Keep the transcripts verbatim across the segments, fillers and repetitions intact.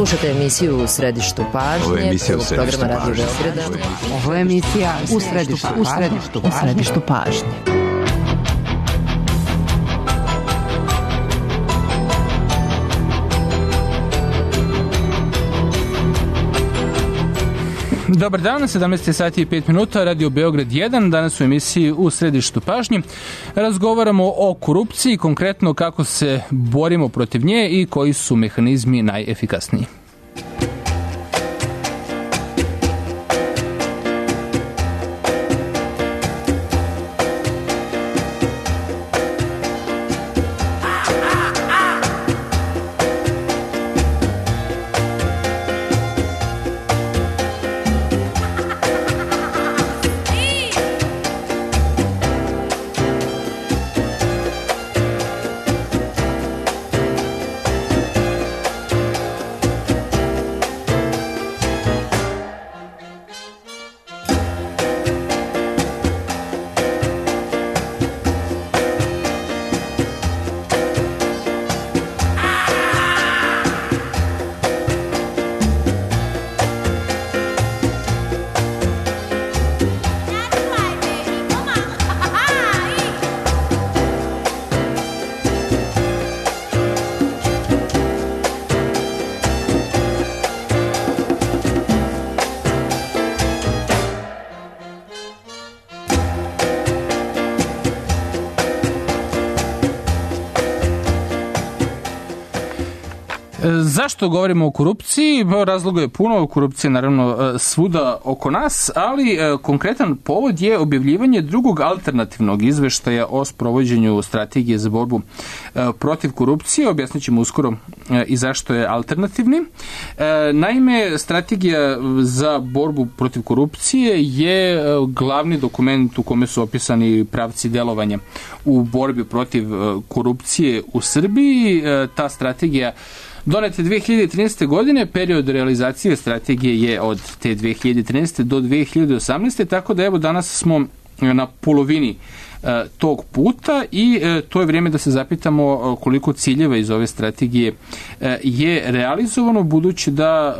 Slušajte emisiju U središtu pažnje. Ovo je emisija U središtu pažnje. Ovo je emisija U središtu pažnje. U središtu, u središtu pažnje. Dobar dan, sedamnaest sati i pet minuta, Radio Beograd jedan, danas u emisiji U središtu pažnje. Razgovaramo o korupciji, konkretno kako se borimo protiv nje i koji su mehanizmi najefikasniji. Zašto govorimo o korupciji? Razloga je puno, korupcija je naravno svuda oko nas, ali konkretan povod je objavljivanje drugog alternativnog izveštaja o sprovođenju strategije za borbu protiv korupcije. Objasnit ćemo uskoro i zašto je alternativni. Naime, strategija za borbu protiv korupcije je glavni dokument u kome su opisani pravci delovanja u borbi protiv korupcije u Srbiji. Ta strategija donete dve hiljade trinaeste. godine, period realizacije strategije je od te dve hiljade trinaeste. do dve hiljade osamnaeste. tako da evo danas smo na polovini e, tog puta i e, to je vrijeme da se zapitamo koliko ciljeva iz ove strategije e, je realizovano, budući da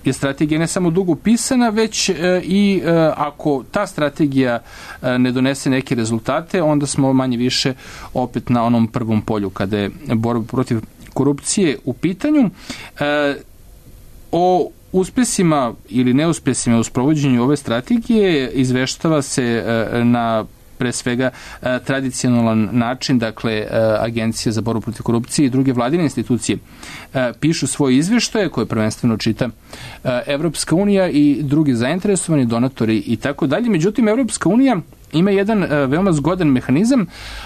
e, je strategija ne samo dugo pisana, već e, i e, ako ta strategija e, ne donese neke rezultate, onda smo manje više opet na onom prvom polju kada je borba protiv korupcije u pitanju. E, o uspjesima ili neuspjesima u sprovođenju ove strategije izveštava se e, na pre svega e, tradicionalan način, dakle e, Agencija za borbu protiv korupcije i druge vladine institucije e, pišu svoje izveštaje koje prvenstveno čita e, Evropska unija i drugi zainteresovani donatori i tako dalje. Međutim, Evropska unija ima jedan e, veoma zgodan mehanizam,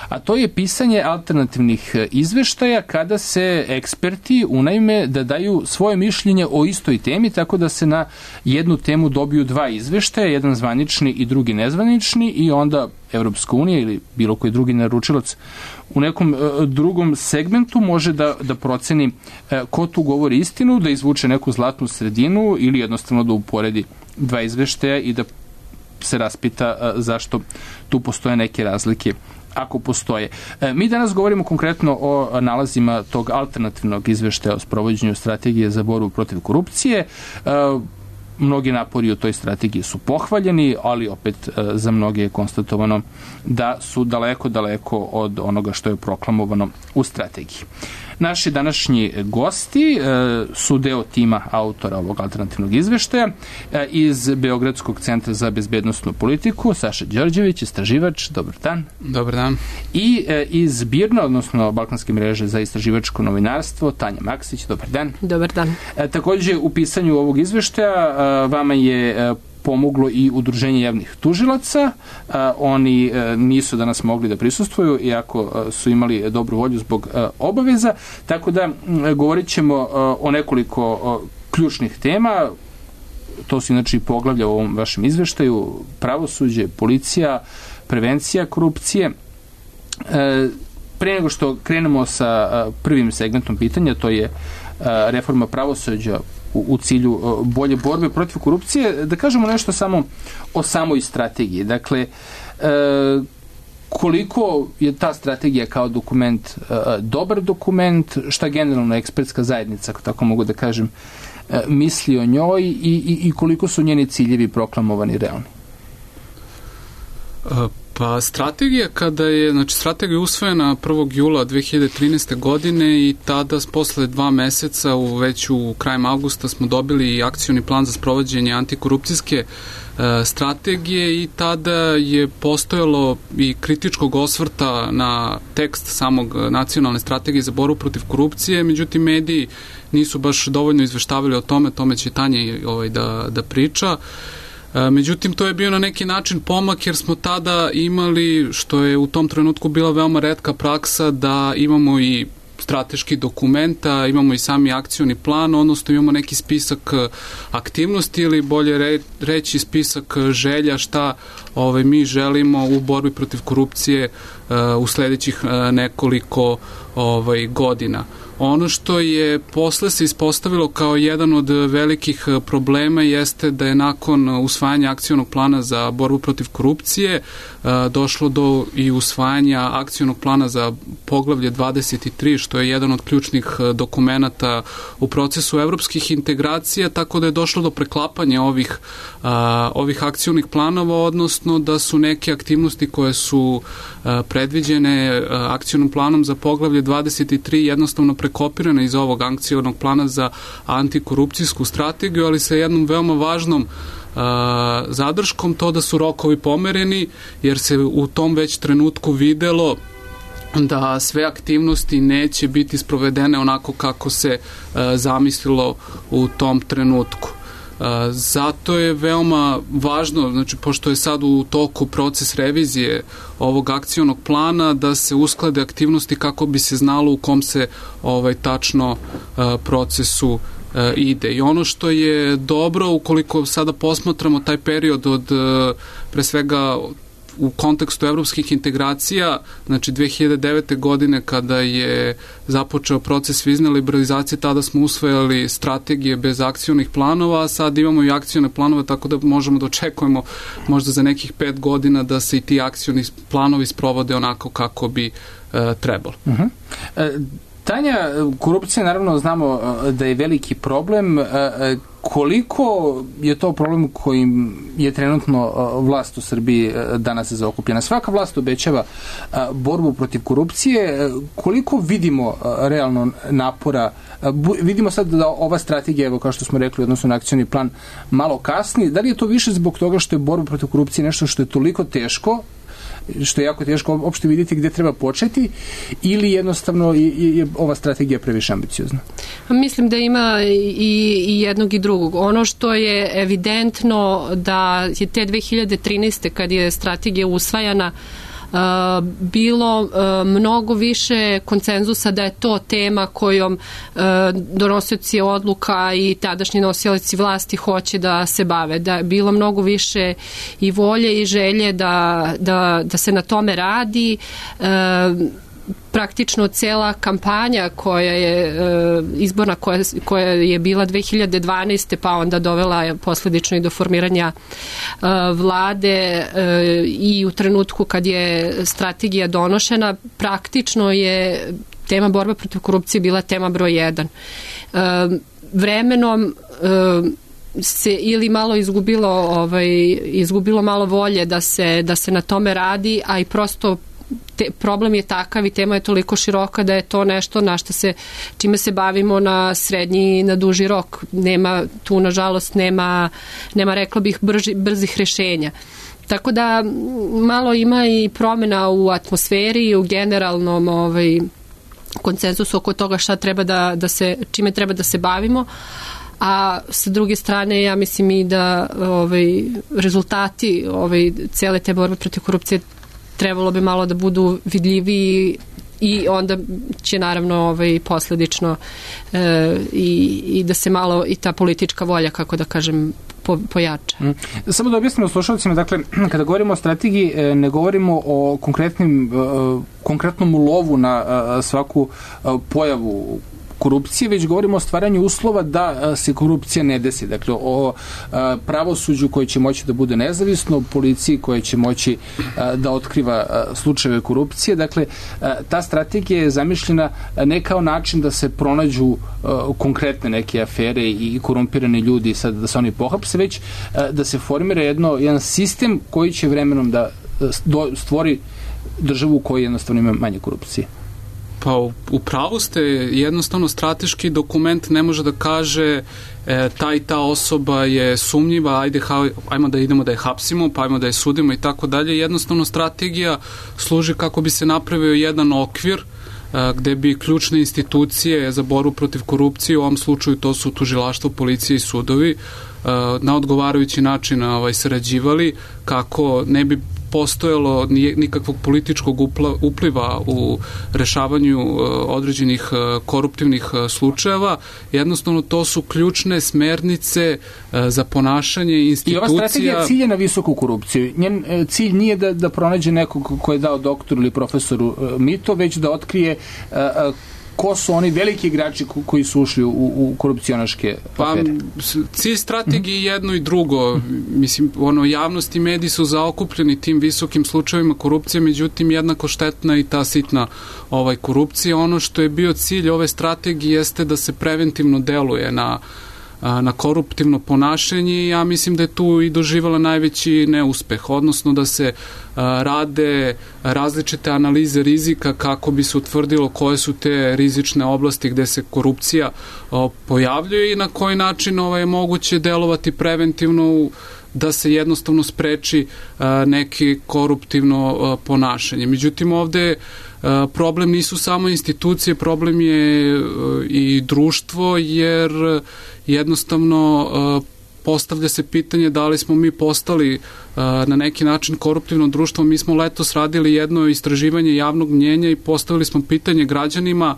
a to je pisanje alternativnih izveštaja kada se eksperti unajme da daju svoje mišljenje o istoj temi, tako da se na jednu temu dobiju dva izveštaja, jedan zvanični i drugi nezvanični, i onda Evropska unija ili bilo koji drugi naručilac u nekom e, drugom segmentu može da, da proceni e, ko tu govori istinu, da izvuče neku zlatnu sredinu ili jednostavno da uporedi dva izveštaja i da se raspita a, zašto tu postoje neke razlike, ako postoje. E, mi danas govorimo konkretno o nalazima tog alternativnog izveštaja o sprovođenju strategije za borbu protiv korupcije. E, mnogi napori u toj strategiji su pohvaljeni, ali opet e, za mnoge je konstatovano da su daleko, daleko od onoga što je proklamovano u strategiji. Naši današnji gosti e, su deo tima autora ovog alternativnog izveštaja e, iz Beogradskog centra za bezbednosnu politiku, Saša Đorđević, istraživač, dobar dan. Dobar dan. I e, iz BIRN-a, odnosno Balkanske mreže za istraživačko novinarstvo, Tanja Maksić, dobar dan. Dobar dan. E, takođe, u pisanju ovog izveštaja e, vama je e, pomoglo i Udruženje javnih tužilaca. A, oni a, nisu danas mogli da prisustvuju, iako a, su imali dobru volju zbog a, obaveza, tako da a, govorit ćemo a, o nekoliko a, ključnih tema. To su inače i poglavlja u ovom vašem izveštaju: pravosuđe, policija, prevencija korupcije. E, pre nego što krenemo sa a, prvim segmentom pitanja, to je a, reforma pravosuđa u cilju bolje borbe protiv korupcije, da kažemo nešto samo o samoj strategiji. Dakle, koliko je ta strategija kao dokument uh, dobar dokument, šta generalno ekspertska zajednica, ako tako mogu da kažem, uh, misli o njoj i, i, i koliko su njeni ciljevi proklamovani realni? Uh, pa strategija kada je, znači strategija je usvojena prvog jula dve hiljade trinaeste. godine i tada posle dva meseca, u, već u krajem avgusta smo dobili akcioni plan za sprovođenje antikorupcijske strategije i tada je postojalo i kritičkog osvrta na tekst samog nacionalne strategije za borbu protiv korupcije, međutim mediji nisu baš dovoljno izveštavali o tome, tome će Tanja ovaj, da, da priča. Međutim, to je bio na neki način pomak jer smo tada imali, što je u tom trenutku bila veoma retka praksa, da imamo i strateški dokumenta, imamo i sami akcioni plan, odnosno imamo neki spisak aktivnosti ili bolje re, reći spisak želja šta ovaj, mi želimo u borbi protiv korupcije uh, u sledećih uh, nekoliko ovaj, godina. Ono što je posle se ispostavilo kao jedan od velikih problema jeste da je nakon usvajanja akcionog plana za borbu protiv korupcije došlo do i usvajanja akcionog plana za poglavlje dvadeset tri, što je jedan od ključnih dokumenata u procesu evropskih integracija, tako da je došlo do preklapanja ovih, ovih akcionih planova, odnosno da su neke aktivnosti koje su predviđene akcionom planom za poglavlje dvadeset tri jednostavno prekopirana iz ovog akcionog plana za antikorupcijsku strategiju, ali sa jednom veoma važnom uh, zadrškom, to da su rokovi pomereni, jer se u tom već trenutku videlo da sve aktivnosti neće biti sprovedene onako kako se uh, zamislilo u tom trenutku. Uh, zato je veoma važno, znači pošto je sad u toku proces revizije ovog akcionog plana, da se usklade aktivnosti kako bi se znalo u kom se ovaj tačno uh, procesu uh, ide. I ono što je dobro, ukoliko sada posmatramo taj period od uh, pre svega u kontekstu evropskih integracija, znači dve hiljade devete. godine kada je započeo proces vizne liberalizacije, tada smo usvojili strategije bez akcionih planova, a sad imamo i akcione planove, tako da možemo da očekujemo možda za nekih pet godina da se i ti akcioni planovi sprovode onako kako bi uh, trebalo. Uh-huh. E, Tanja, korupcija naravno znamo da je veliki problem. Koliko je to problem kojim je trenutno vlast u Srbiji danas zaokupljena? Svaka vlast obećava borbu protiv korupcije. Koliko vidimo realno napora? Vidimo sad da ova strategija, evo kao što smo rekli, odnosno na akcioni plan, malo kasni. Da li je to više zbog toga što je borba protiv korupcije nešto što je toliko teško, što je jako teško uopšte vidjeti gde treba početi, ili jednostavno je, je ova strategija previše ambiciozna? Mislim da ima i, i jednog i drugog. Ono što je evidentno da je te dve hiljade trinaeste. kad je strategija usvajana, Uh, bilo uh, mnogo više konsenzusa da je to tema kojom uh, donosioci odluka i tadašnji nosioci vlasti hoće da se bave. Da je bilo mnogo više i volje i želje da, da, da se na tome radi. Uh, praktično cela kampanja koja je izborna koja, koja je bila dve hiljade dvanaeste. pa onda dovela posledično i do formiranja vlade i u trenutku kad je strategija donošena, praktično je tema borba protiv korupcije bila tema broj jedan. Vremenom se ili malo izgubilo ovaj izgubilo malo volje da se da se na tome radi, a i prosto Te, problem je takav i tema je toliko široka da je to nešto na što se, čime se bavimo na srednji i na duži rok. Nema, tu nažalost nema, nema rekla bih brži, brzih rešenja. Tako da malo ima i promjena u atmosferi i u generalnom ovaj, konsenzusu oko toga šta treba da, da se, čime treba da se bavimo. A sa druge strane ja mislim i da ovaj, rezultati ovaj, cele te borbe protiv korupcije trebalo bi malo da budu vidljiviji i onda će naravno ovaj, posledično e, i, i da se malo i ta politička volja, kako da kažem, po, pojača. Mm. Samo da objasnimo slušalcima, dakle, kada govorimo o strategiji, ne govorimo o konkretnim, konkretnom lovu na svaku pojavu korupcije, već govorimo o stvaranju uslova da se korupcija ne desi. Dakle, o pravosuđu koje će moći da bude nezavisno, o policiji koja će moći da otkriva slučajeve korupcije. Dakle, ta strategija je zamišljena ne kao način da se pronađu konkretne neke afere i korumpirani ljudi sad da se oni pohapse, već da se formira jedno, jedan sistem koji će vremenom da stvori državu u kojoj jednostavno ima manje korupcije. Pa u pravu ste, jednostavno strateški dokument ne može da kaže e, ta i ta osoba je sumnjiva, ajde, ha, ajmo da idemo da je hapsimo, pa ajmo da je sudimo i tako dalje. Jednostavno strategija služi kako bi se napravio jedan okvir e, gde bi ključne institucije za borbu protiv korupcije, u ovom slučaju to su tužilaštvo, policija i sudovi, e, na odgovarajući način ovaj, sarađivali kako ne bi postojalo nikakvog političkog upliva u rešavanju određenih koruptivnih slučajeva. Jednostavno, to su ključne smernice za ponašanje institucija. I ova strategija cilje na visoku korupciju. Njen cilj nije da, da pronađe nekog ko je dao doktoru ili profesoru mito, već da otkrije ko su oni veliki igrači koji su ušli u, u korupcionaške afere? Pa, cilj strategije je jedno i drugo. Mislim, ono, javnost i mediji su zaokupljeni tim visokim slučajevima korupcije, međutim, jednako štetna i ta sitna ovaj, korupcija. Ono što je bio cilj ove strategije jeste da se preventivno deluje na na koruptivno ponašanje i ja mislim da je tu i doživala najveći neuspeh, odnosno da se rade različite analize rizika kako bi se utvrdilo koje su te rizične oblasti gde se korupcija pojavljuje i na koji način ovaj, je moguće delovati preventivno da se jednostavno spreči neki koruptivno ponašanje. Međutim, ovde problem nisu samo institucije, problem je i društvo, jer jednostavno postavlja se pitanje da li smo mi postali na neki način koruptivno društvo. Mi smo letos radili jedno istraživanje javnog mnjenja i postavili smo pitanje građanima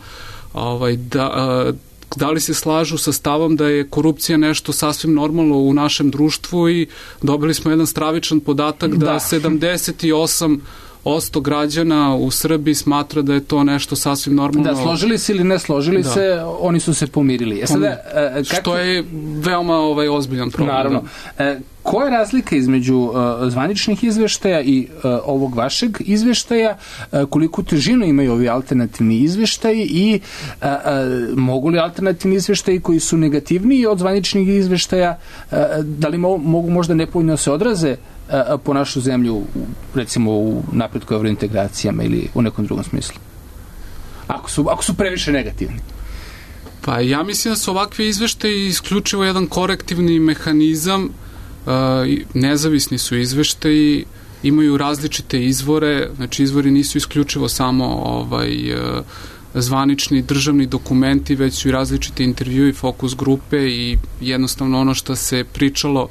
ovaj, da da li se slažu sa stavom da je korupcija nešto sasvim normalno u našem društvu i dobili smo jedan stravičan podatak da, da. sedamdeset osam posto građana u Srbiji smatra da je to nešto sasvim normalno. Da, složili se ili ne složili da. se, oni su se pomirili. E sada, kako... Što je veoma ovaj, ozbiljan problem. Naravno. E, koja je razlika između uh, zvaničnih izveštaja i uh, ovog vašeg izveštaja, uh, koliko težinu imaju ovi alternativni izveštaji i uh, uh, mogu li alternativni izveštaji koji su negativniji od zvaničnih izveštaja, uh, da li mo mogu možda nepovoljno se odraze uh, po našu zemlju, recimo u napretku evrointegracijama ili u nekom drugom smislu? Ako su, ako su previše negativni. Pa ja mislim da su ovakve izveštaje isključivo jedan korektivni mehanizam. Uh, nezavisni su izveštaji, imaju različite izvore, znači izvori nisu isključivo samo ovaj, uh, zvanični državni dokumenti, već su i različite intervjui, fokus grupe i jednostavno ono što se pričalo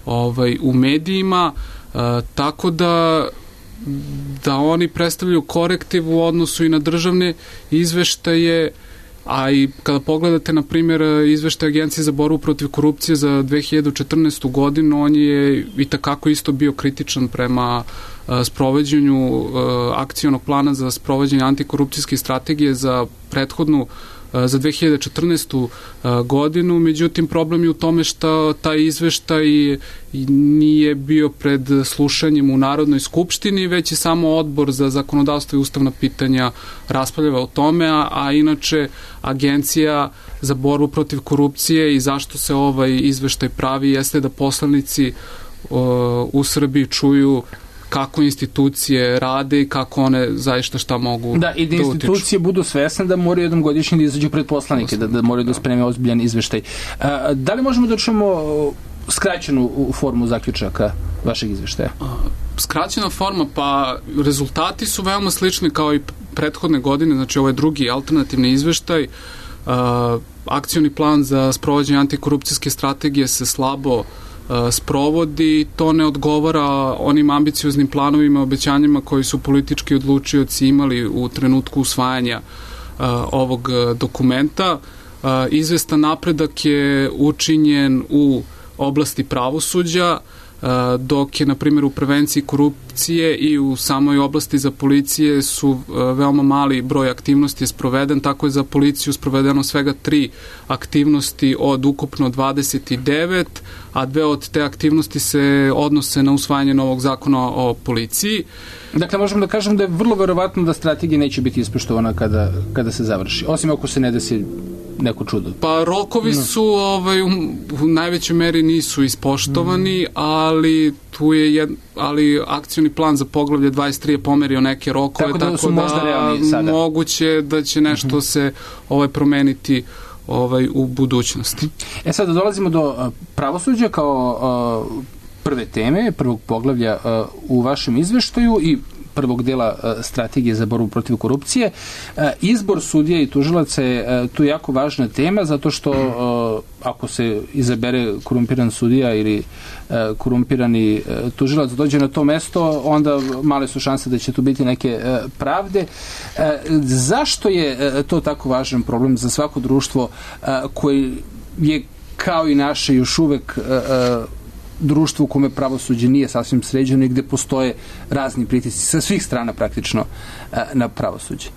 ovaj, u medijima, uh, tako da da oni predstavljaju korektiv u odnosu i na državne izveštaje. A i kada pogledate, na primjer, izveštaj Agencije za borbu protiv korupcije za dve hiljade četrnaestu godinu, on je i takako isto bio kritičan prema uh, sprovođenju uh, akcionog plana za sprovođenje antikorupcijske strategije za prethodnu uh, za dve hiljade četrnaestu uh, godinu. Međutim, problem je u tome što taj izveštaj nije bio pred slušanjem u Narodnoj skupštini, već je samo Odbor za zakonodavstvo i ustavna pitanja raspravljava o tome, a, a inače Agencija za borbu protiv korupcije i zašto se ovaj izveštaj pravi jeste da poslanici uh, u Srbiji čuju kako institucije rade i kako one zaista šta mogu da i da, da institucije budu svesne da moraju jednom godišnje da izađu pred poslanike, da, da moraju da spreme ozbiljan izveštaj. A, da li možemo da čujemo skraćenu formu zaključaka vašeg izveštaja? Skraćena forma, pa rezultati su veoma slični kao i prethodne godine, znači ovo je drugi alternativni izveštaj. A, akcioni plan za sprovođenje antikorupcijske strategije se slabo sprovodi, to ne odgovara onim ambicioznim planovima, obećanjima koji su politički odlučioci imali u trenutku usvajanja uh, ovog dokumenta. Uh, izvestan napredak je učinjen u oblasti pravosuđa. Uh, dok je, na primjer, u prevenciji korupcije i u samoj oblasti za policije su veoma mali broj aktivnosti je sproveden, tako je za policiju sprovedeno svega tri aktivnosti od ukupno dvadeset devet, a dve od te aktivnosti se odnose na usvajanje novog zakona o policiji. Dakle, možemo da kažemo da je vrlo verovatno da strategija neće biti ispoštovana kada, kada se završi, osim ako se ne desi neko čudo. Pa rokovi no. su ovaj, u, u najvećoj meri nisu ispoštovani, mm. ali tu je jed, ali akcioni plan za poglavlje dvadeset tri je pomerio neke rokove, tako da, tako da, da moguće da će nešto mm-hmm. se ovaj, promeniti ovaj, u budućnosti. E sada dolazimo do pravosuđa kao uh, prve teme, prvog poglavlja uh, u vašem izveštaju i prvog dela uh, strategije za borbu protiv korupcije. Uh, izbor sudija i tužilaca je uh, tu jako važna tema, zato što uh, ako se izabere korumpiran sudija ili uh, korumpirani uh, tužilac dođe na to mesto, onda male su šanse da će tu biti neke uh, pravde. Uh, zašto je uh, to tako važan problem za svako društvo uh, koji je kao i naše još uvek uh, uh, društvo u kome pravosuđe nije sasvim sređeno i gde postoje razni pritisci sa svih strana praktično na pravosuđe?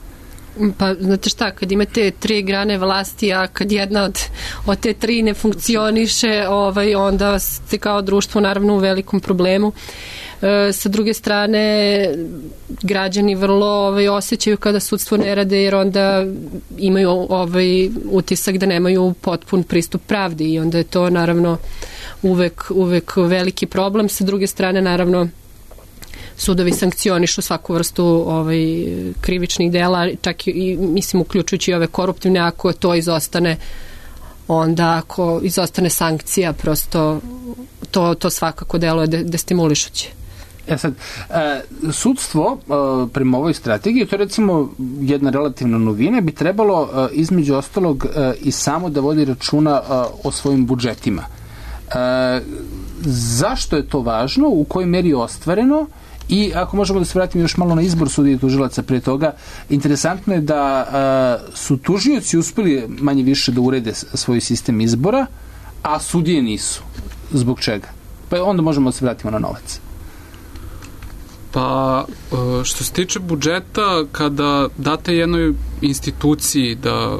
Pa, znate šta, kad imate tri grane vlasti, a kad jedna od, od te tri ne funkcioniše, ovaj, onda ste kao društvo naravno u velikom problemu. E, sa druge strane, građani vrlo ovaj, osjećaju kada sudstvo ne rade, jer onda imaju ovaj, utisak da nemaju potpun pristup pravdi i onda je to naravno uvek, uvek veliki problem. Sa druge strane, naravno, sudovi sankcionišu svaku vrstu ovaj, krivičnih dela, čak i, mislim, uključujući i ove koruptivne, ako to izostane, onda ako izostane sankcija, prosto to, to svakako deluje de, destimulišuće. E sad, e, sudstvo e, prema ovoj strategiji, to je recimo jedna relativna novina, bi trebalo e, između ostalog e, i samo da vodi računa e, o svojim budžetima. E, zašto je to važno, u kojoj meri je ostvareno i ako možemo da se vratimo još malo na izbor sudija i tužilaca pre toga, interesantno je da a, su tužioci uspeli manje više da urede svoj sistem izbora, a sudije nisu. Zbog čega? Pa onda možemo da se vratimo na novac. Pa, što se tiče budžeta, kada date jednoj instituciji da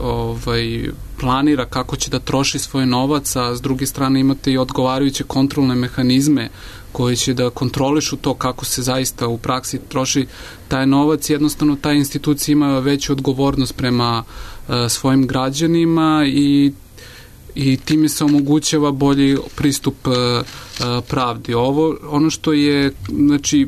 ovaj, planira kako će da troši svoj novac, a s druge strane imate i odgovarajuće kontrolne mehanizme koji će da kontrolišu to kako se zaista u praksi troši taj novac, jednostavno ta institucija ima veću odgovornost prema uh, svojim građanima i i time se omogućava bolji pristup uh, uh, pravdi. Ovo, ono što je, znači,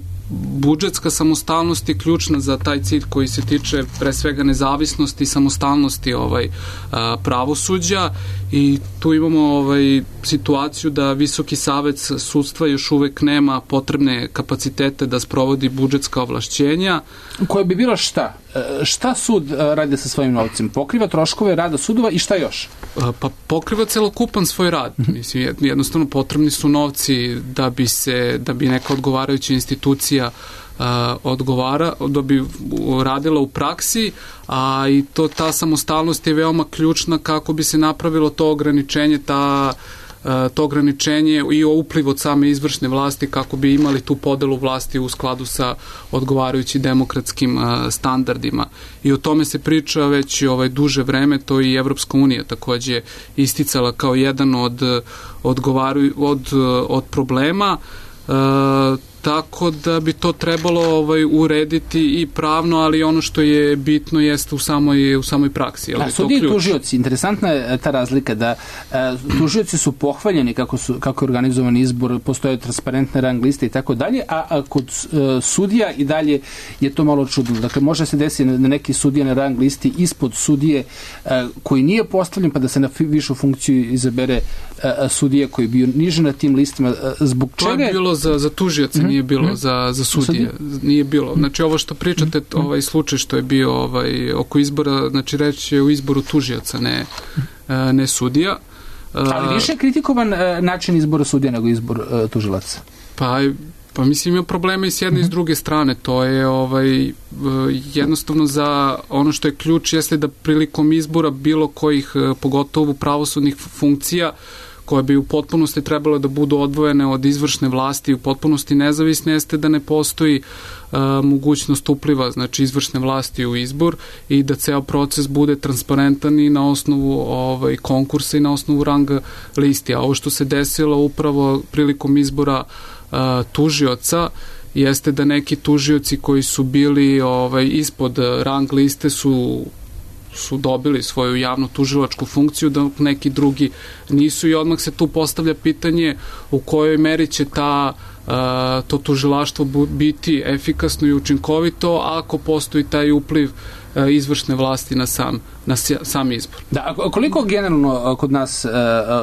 budžetska samostalnost je ključna za taj cilj koji se tiče pre svega nezavisnosti i samostalnosti ovaj, a, pravosuđa i tu imamo ovaj, situaciju da Visoki savet sudstva još uvek nema potrebne kapacitete da sprovodi budžetska ovlašćenja. Koje bi bilo šta? Šta sud radi sa svojim novcem? Pokriva troškove rada sudova i šta još? Pa pokriva celokupan svoj rad. Mislim, jednostavno potrebni su novci da bi se, da bi neka odgovarajuća institucija uh, odgovara, da bi radila u praksi, a i to, ta samostalnost je veoma ključna kako bi se napravilo to ograničenje, ta to ograničenje i o upliv od same izvršne vlasti kako bi imali tu podelu vlasti u skladu sa odgovarajućim demokratskim standardima. I o tome se priča već ovaj duže vreme, to i Evropska unija takođe isticala kao jedan od odgovaruju od, od problema. E, tako da bi to trebalo ovaj, urediti i pravno, ali ono što je bitno jeste u samoj, u samoj praksi. Da, sudije i tužioci, interesantna je ta razlika da e, tužioci su pohvaljeni kako, su, kako je organizovan izbor, postoje transparentne rang liste i tako dalje, a, a kod e, sudija i dalje je to malo čudno. Dakle, može se desiti da neki sudija na rang listi ispod sudije e, koji nije postavljen, pa da se na višu funkciju izabere e, sudija koji je bio niže na tim listima. E, zbog to čega je bilo za, za tužioce, mm-hmm. nije bilo mm-hmm. za, za sudije. Nije bilo. Znači, ovo što pričate, ovaj slučaj što je bio ovaj, oko izbora, znači reći je u izboru tužioca, ne, ne sudija. Ali više je kritikovan način izbora sudija nego izbor tužilaca. Pa, pa mislim, ima problema i s jedne i s druge strane. To je ovaj, jednostavno za ono što je ključ jeste da prilikom izbora bilo kojih, pogotovo pravosudnih funkcija, koje bi u potpunosti trebalo da budu odvojene od izvršne vlasti i u potpunosti nezavisne, jeste da ne postoji uh, mogućnost upliva, znači izvršne vlasti u izbor i da ceo proces bude transparentan i na osnovu ovaj, konkursa i na osnovu ranga listi. A ovo što se desilo upravo prilikom izbora uh, tužioca jeste da neki tužioci koji su bili ovaj, ispod rang liste su su dobili svoju javno tužilačku funkciju, da neki drugi nisu, i odmah se tu postavlja pitanje u kojoj meri će ta, uh, to tužilaštvo biti efikasno i učinkovito ako postoji taj upliv uh, izvršne vlasti na sam, na sam izbor. Da, a koliko generalno kod nas uh,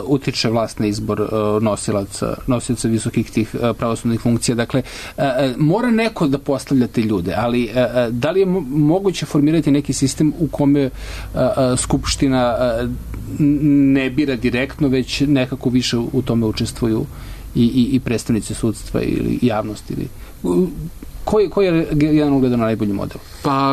utiče vlast na izbor uh, nosilaca, nosilaca visokih tih uh, pravosudnih funkcija? Dakle, uh, mora neko da postavlja te ljude, ali uh, da li je moguće formirati neki sistem u kome uh, uh, Skupština uh, ne bira direktno, već nekako više u tome učestvuju i, i, i predstavnici sudstva ili javnosti? Ili, koji, koji je jedan ugledan na najbolji model? Pa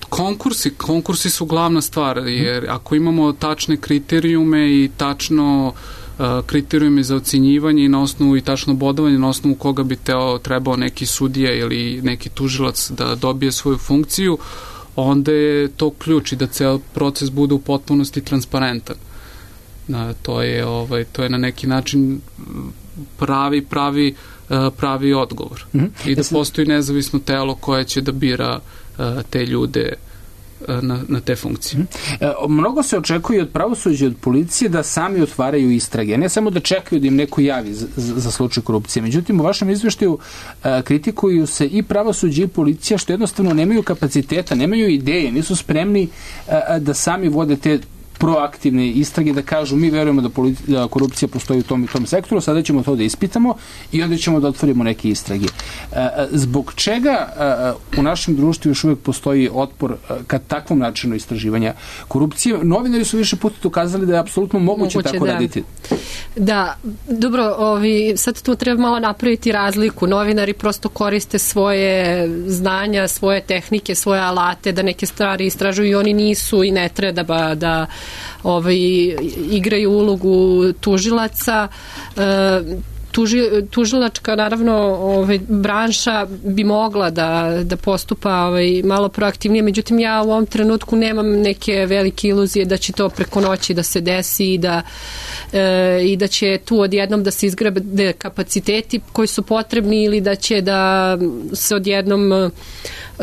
konkursi, konkursi su glavna stvar, jer ako imamo tačne kriterijume i tačno uh, kriterijume za ocenjivanje i na osnovu i tačno bodovanje na osnovu koga bi teo, trebao neki sudija ili neki tužilac da dobije svoju funkciju, onda je to ključ i da ceo proces bude u potpunosti transparentan. Uh, to je ovaj to je na neki način pravi pravi uh, pravi odgovor. Mm-hmm. I da postoji nezavisno telo koje će da bira te ljude na, na te funkcije. E, mnogo se očekuje od pravosuđa i od policije da sami otvaraju istrage, ne samo da čekaju da im neko javi za, za slučaj korupcije. Međutim, u vašem izveštaju e, kritikuju se i pravosuđe i policija što jednostavno nemaju kapaciteta, nemaju ideje, nisu spremni e, da sami vode te proaktivne istrage, da kažu mi verujemo da, politi- da korupcija postoji u tom i tom sektoru, sada ćemo to da ispitamo i onda ćemo da otvorimo neke istrage. E, zbog čega e, u našem društvu još uvijek postoji otpor e, ka takvom načinu istraživanja korupcije? Novinari su više puta ukazali da je apsolutno moguće, moguće tako da. raditi. Da, dobro, ovi, sad tu treba malo napraviti razliku. Novinari prosto koriste svoje znanja, svoje tehnike, svoje alate da neke stvari istražuju i oni nisu i ne treba da ovaj, igraju ulogu tužilaca. E, tuži, tužilačka, naravno, ovaj, branša bi mogla da, da postupa ovaj, malo proaktivnije, međutim ja u ovom trenutku nemam neke velike iluzije da će to preko noći da se desi i da, e, i da će tu odjednom da se izgrade kapaciteti koji su potrebni ili da će da se odjednom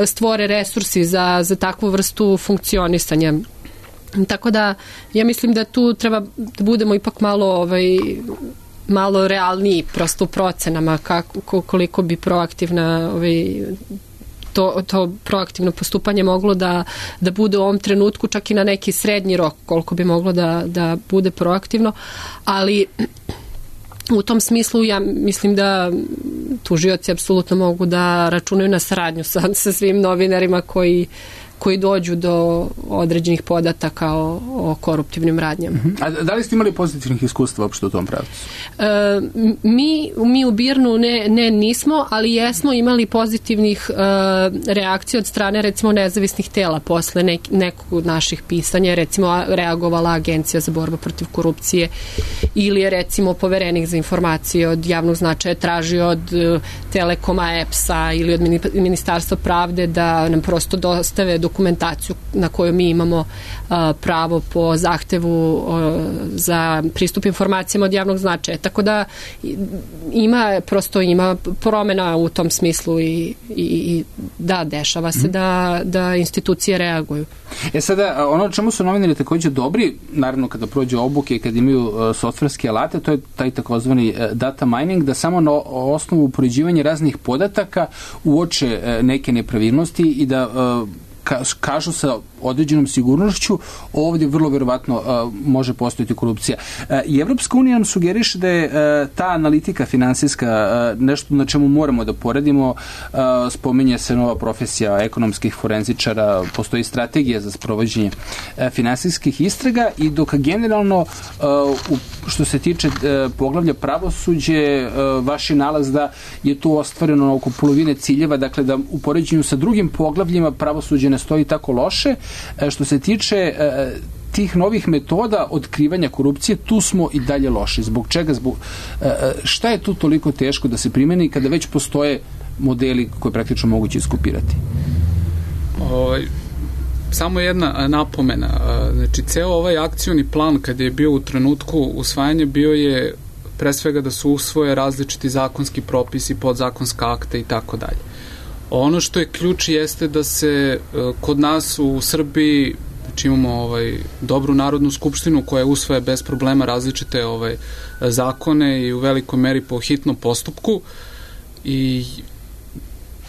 stvore resursi za, za takvu vrstu funkcionisanja. Tako da ja mislim da tu treba da budemo ipak malo ovaj, malo realniji prosto u procenama kako, koliko bi proaktivna ovaj, to, to proaktivno postupanje moglo da, da bude u ovom trenutku, čak i na neki srednji rok koliko bi moglo da, da bude proaktivno, ali u tom smislu ja mislim da tužioci apsolutno mogu da računaju na saradnju sa, sa svim novinarima koji koji dođu do određenih podataka o, o koruptivnim radnjama. A da li ste imali pozitivnih iskustva uopšte u tom pravcu? E, mi, mi u Birnu ne, ne nismo, ali jesmo imali pozitivnih e, reakcija od strane recimo nezavisnih tela posle nek, nekog od naših pisanja, recimo reagovala Agencija za borbu protiv korupcije ili je recimo poverenik za informacije od javnog značaja tražio od Telekoma, E P S-a ili od Ministarstva pravde da nam prosto dostave do dokumentaciju na koju mi imamo uh, pravo po zahtevu uh, za pristup informacijama od javnog značaja. Tako da ima, prosto ima promena u tom smislu i, i, i da, dešava se da, da institucije reaguju. E sada, ono čemu su novinari također dobri, naravno kada prođe obuke i kada imaju uh, softverske alate, to je taj takozvani uh, data mining, da samo na osnovu upoređivanja raznih podataka uoče uh, neke nepravilnosti i da uh, kažu sa određenom sigurnošću ovdje vrlo verovatno uh, može postojati korupcija. Uh, I Evropska unija nam sugeriše da je uh, ta analitika finansijska uh, nešto na čemu moramo da poredimo. Uh, spominje se nova profesija ekonomskih forenzičara, postoji strategija za sprovođenje uh, finansijskih istraga i dok generalno uh, u, što se tiče uh, poglavlja pravosuđe, uh, vaš je nalaz da je tu ostvareno oko polovine ciljeva, dakle da u poređenju sa drugim poglavljima pravosuđe ne stoji tako loše. Što se tiče tih novih metoda otkrivanja korupcije, tu smo i dalje loši. Zbog čega? Zbog, šta je tu toliko teško da se primeni kada već postoje modeli koje praktično moguće iskopirati? Ovaj, samo jedna napomena. Znači, ceo ovaj akcioni plan kada je bio u trenutku usvajanja bio je pre svega da se usvoje različiti zakonski propisi, podzakonska akta i tako dalje. Ono što je ključ jeste da se kod nas u Srbiji, znači imamo ovaj, dobru Narodnu skupštinu koja usvaja bez problema različite ovaj, zakone i u velikoj meri po hitnom postupku i,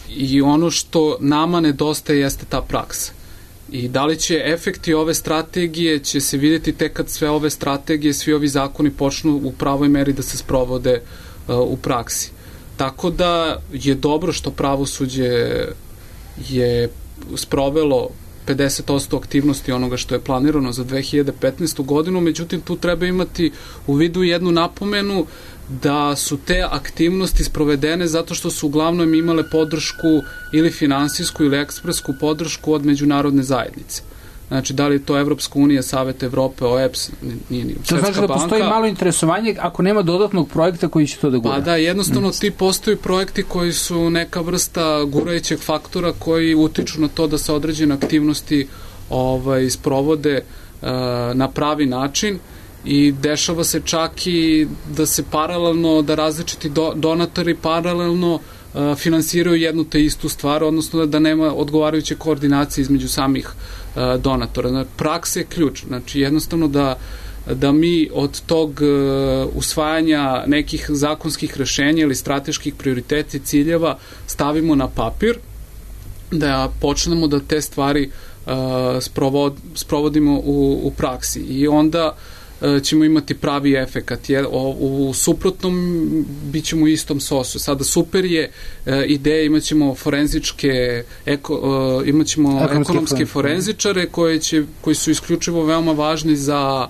i ono što nama nedostaje jeste ta praksa. I da li će efekti ove strategije će se vidjeti tek kad sve ove strategije, svi ovi zakoni počnu u pravoj meri da se sprovode uh, u praksi. Tako da je dobro što pravosuđe je sprovelo pedeset posto aktivnosti onoga što je planirano za dve hiljade petnaestu godinu, međutim tu treba imati u vidu jednu napomenu da su te aktivnosti sprovedene zato što su uglavnom imale podršku ili finansijsku ili ekspresku podršku od međunarodne zajednice. Znači, da li je to Evropska unija, Savet Evrope, O E P S, nije ni Svetska banka. To znači da postoji malo interesovanje ako nema dodatnog projekta koji će to da gura. Pa da, jednostavno ti postoji projekti koji su neka vrsta gurajućeg faktora koji utiču na to da se određene aktivnosti ovaj, sprovode uh, na pravi način i dešava se čak i da se paralelno, da različiti do, donatori paralelno uh, finansiraju jednu te istu stvar, odnosno da, da nema odgovarajuće koordinacije između samih uh, donatora. Znači, praksa je ključ. Znači, jednostavno da, da mi od tog uh, usvajanja nekih zakonskih rešenja ili strateških prioriteta i ciljeva stavimo na papir, da počnemo da te stvari uh, sprovod, sprovodimo u, u praksi. I onda ćemo imati pravi efekat. Jer u suprotnom bit ćemo u istom sosu. Sada super je ideja, imat ćemo forenzičke, eko, imat ćemo ekonomske forenzičare koje će, koji su isključivo veoma važni za,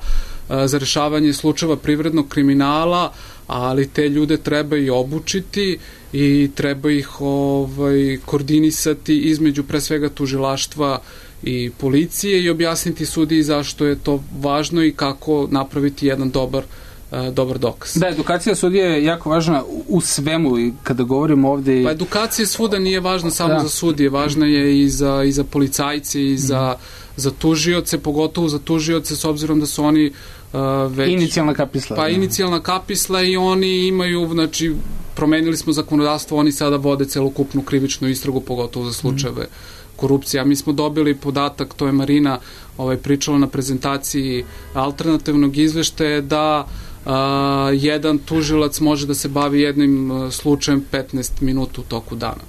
za rešavanje slučajeva privrednog kriminala, ali te ljude treba i obučiti i treba ih ovaj, koordinisati između pre svega tužilaštva i policije i objasniti sudiji zašto je to važno i kako napraviti jedan dobar, uh, dobar dokaz. Da, edukacija sudija je jako važna u svemu i kada govorimo ovde... Pa edukacija svuda nije važna samo da. za sudije, važna je i za, i za policajce i za, mm. za tužioce, pogotovo za tužioce s obzirom da su oni uh, već... Inicijalna kapisla. Pa da. inicijalna kapisla i oni imaju, znači, promenili smo zakonodavstvo, oni sada vode celokupnu krivičnu istragu, pogotovo za slučajeve mm. korupcija. Mi smo dobili podatak, to je Marina ovaj, pričala na prezentaciji alternativnog izveštaja, da a, jedan tužilac može da se bavi jednim a, slučajem petnaest minuta u toku dana.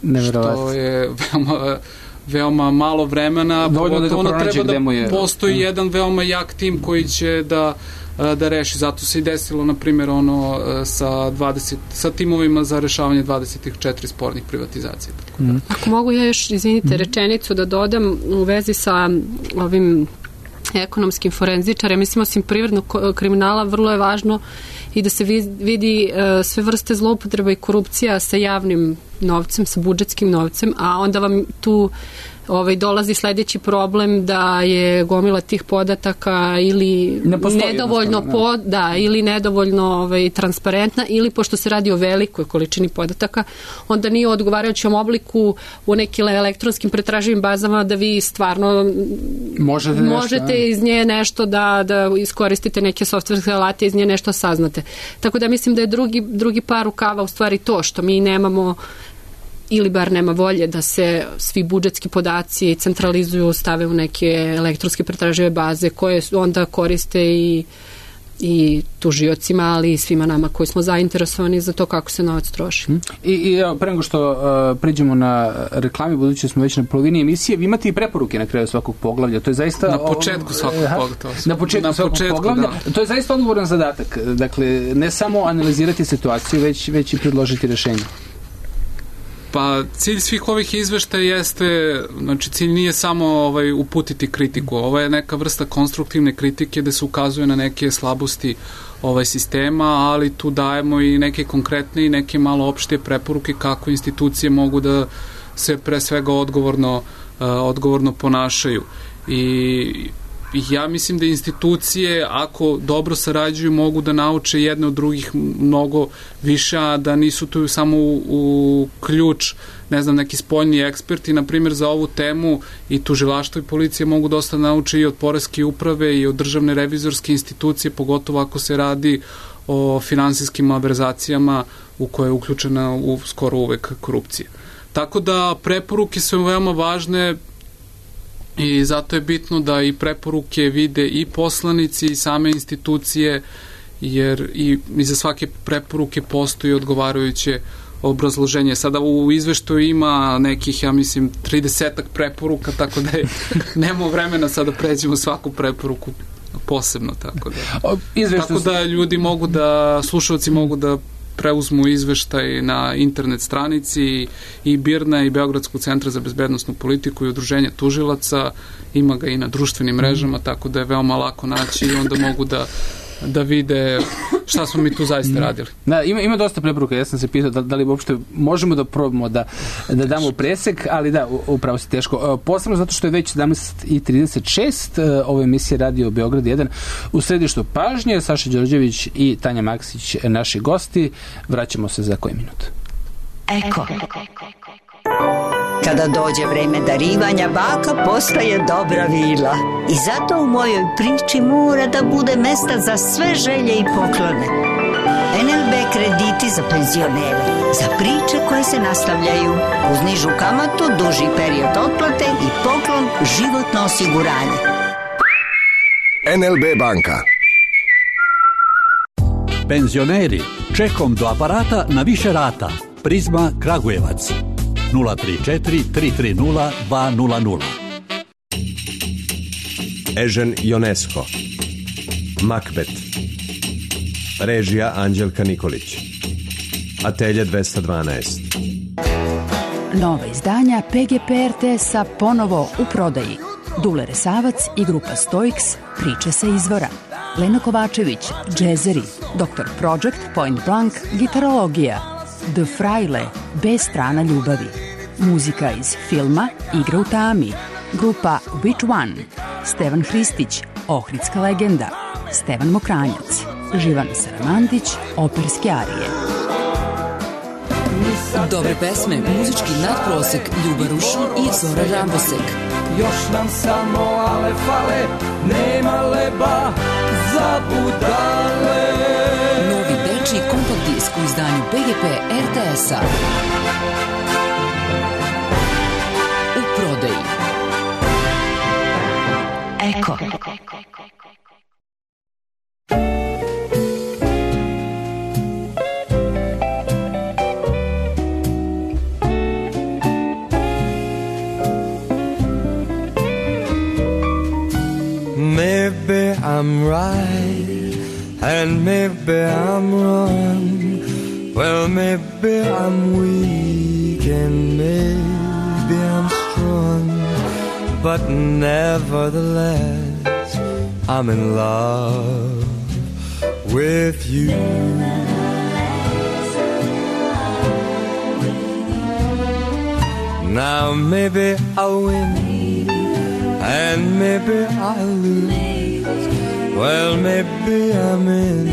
Neverovatno. Što je veoma, veoma malo vremena. Dovoljno da ono treba da je... postoji mm. jedan veoma jak tim koji će da da reši. Zato se i desilo, na primjer, ono sa, dvadeset, sa timovima za rešavanje dvadeset četiri spornih privatizacija. Tako da. Mm. Ako mogu ja još, izvinite, rečenicu da dodam u vezi sa ovim ekonomskim forenzičarem, mislim, osim privrednog kriminala, vrlo je važno i da se vidi uh, sve vrste zloupotreba i korupcija sa javnim novcem, sa budžetskim novcem, a onda vam tu ovaj, dolazi sledeći problem da je gomila tih podataka ili nedovoljno pod, da, ili nedovoljno ovaj, transparentna, ili pošto se radi o velikoj količini podataka, onda nije u odgovarajućem obliku u nekim elektronskim pretraživim bazama da vi stvarno možete, nešto, možete iz nje nešto da, da iskoristite neke softverske alate, iz nje nešto saznate. Tako da mislim da je drugi, drugi par rukava u stvari to što mi nemamo ili bar nema volje da se svi budžetski podaci centralizuju, stave u neke elektronske pretražive baze koje onda koriste i, i tužiocima, ali i svima nama koji smo zainteresovani za to kako se novac troši. I, i evo, pre nego što uh, priđemo na reklami, budući smo već na polovini emisije, vi imate i preporuke na kraju svakog poglavlja. To je zaista... Na početku svakog poglavlja. Na početku na svakog početku, poglavlja. Da. To je zaista odgovoran zadatak. Dakle, ne samo analizirati situaciju, već, već i predložiti rešenje. Pa cilj svih ovih izveštaja jeste, znači cilj nije samo ovaj, uputiti kritiku, ovo je neka vrsta konstruktivne kritike gde se ukazuje na neke slabosti ovaj sistema, ali tu dajemo i neke konkretne i neke malo opšte preporuke kako institucije mogu da se pre svega odgovorno, uh, odgovorno ponašaju. I ja mislim da institucije, ako dobro sarađuju, mogu da nauče jedne od drugih mnogo više, a da nisu tu samo u, u ključ, ne znam, neki spoljni eksperti, na primjer za ovu temu i tužilaštvo i policija mogu dosta nauče i od poreske uprave i od državne revizorske institucije, pogotovo ako se radi o finansijskim malverzacijama u koje je uključena u, skoro uvek korupcija. Tako da preporuke su veoma važne i zato je bitno da i preporuke vide i poslanici i same institucije, jer i iza svake preporuke postoji odgovarajuće obrazloženje. Sada u izveštaju ima nekih, ja mislim, tridesetak preporuka, tako da je, nemamo vremena sada da pređemo svaku preporuku posebno, tako da. Tako da ljudi mogu da, slušalci mogu da preuzmu izveštaj na internet stranici i BIRN-a i Beogradskog centra za bezbednosnu politiku i udruženja tužilaca, ima ga i na društvenim mrežama, tako da je veoma lako naći i onda mogu da da vide šta smo mi tu zaista radili. Da, ima, ima dosta preporuka, ja sam se pitao da, da li uopšte možemo da probamo da, da damo presek, ali da, upravo si teško. Posebno zato što je već sedamnaest i trideset šest, ova emisija Radio Beograd jedan u središtu pažnje, Saša Đorđević i Tanja Maksić, naši gosti. Vraćamo se za koji minut. Eko. Kada dođe vreme darivanja, baka postaje dobra vila. I zato u mojoj priči mora da bude mesta za sve želje i poklone. en el be krediti za penzionere, za priče koje se nastavljaju, uz nižu kamatu, duži period otplate i poklon životno osiguranje. en el be banka. Penzioneri, čekom do aparata na više rata. Prizma Kragujevac. nula tri četiri tri tri nula dva nula nula. Ežen Ionesco. Makbet. Režija Anđelka Nikolić. Atelje dvesta dvanaest. Nova izdanja Pe Ge Pe Er Te Es-a ponovo u prodaji. Dule Resavac i grupa Stoiks, priče sa izvora. Lena Kovačević, džezeri. doktor Project, Point Blank, gitarologija. The Fraile, B strana ljubavi. Muzika iz filma Igra u tami. Grupa Which One. Stevan Hristić, Ohridska legenda. Stevan Mokranjac. Živan Saramandić, operske arije. Dobre pesme, muzički nadprosek, Ljuba Rušan i Zora Rambosek. Još nam samo ale fale, nema leba za budale. Novi dečiji kompakt disk u izdanju Pe Ge Pe Er Te Es-a. U prodaji. Eko. Maybe I'm right, and maybe I'm wrong. Well, maybe I'm weak, and maybe I'm strong. But nevertheless, I'm in love with you. Now maybe I'll win, and maybe I lose. Well, maybe I'm in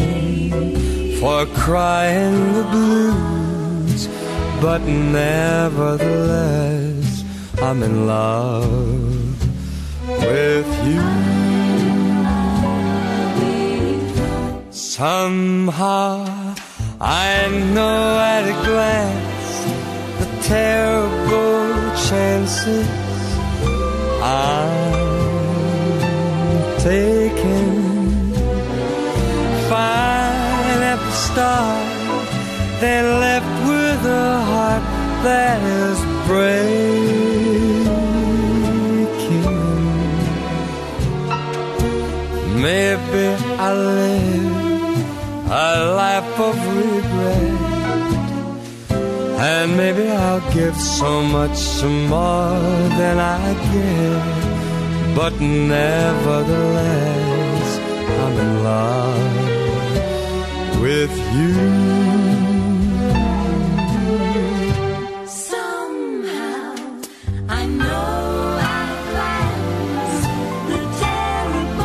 for crying the blues, but nevertheless I'm in love with you. Somehow I know at a glance the terrible chances I'm taking. Fine at the start, then left with a heart that is breaking. Maybe I live a life of regret, and maybe I'll give so much more than I get, but nevertheless I'm in love with you. Somehow I know at last the terrible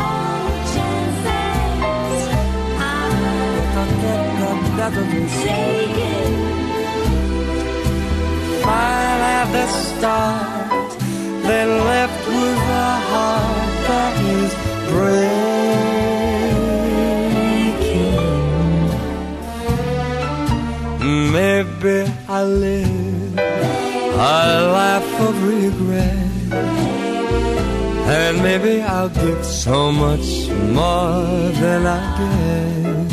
and saying, fine at the start, then left with a heart that is breaking. Maybe I live a life of regret, and maybe I'll give so much more than I get,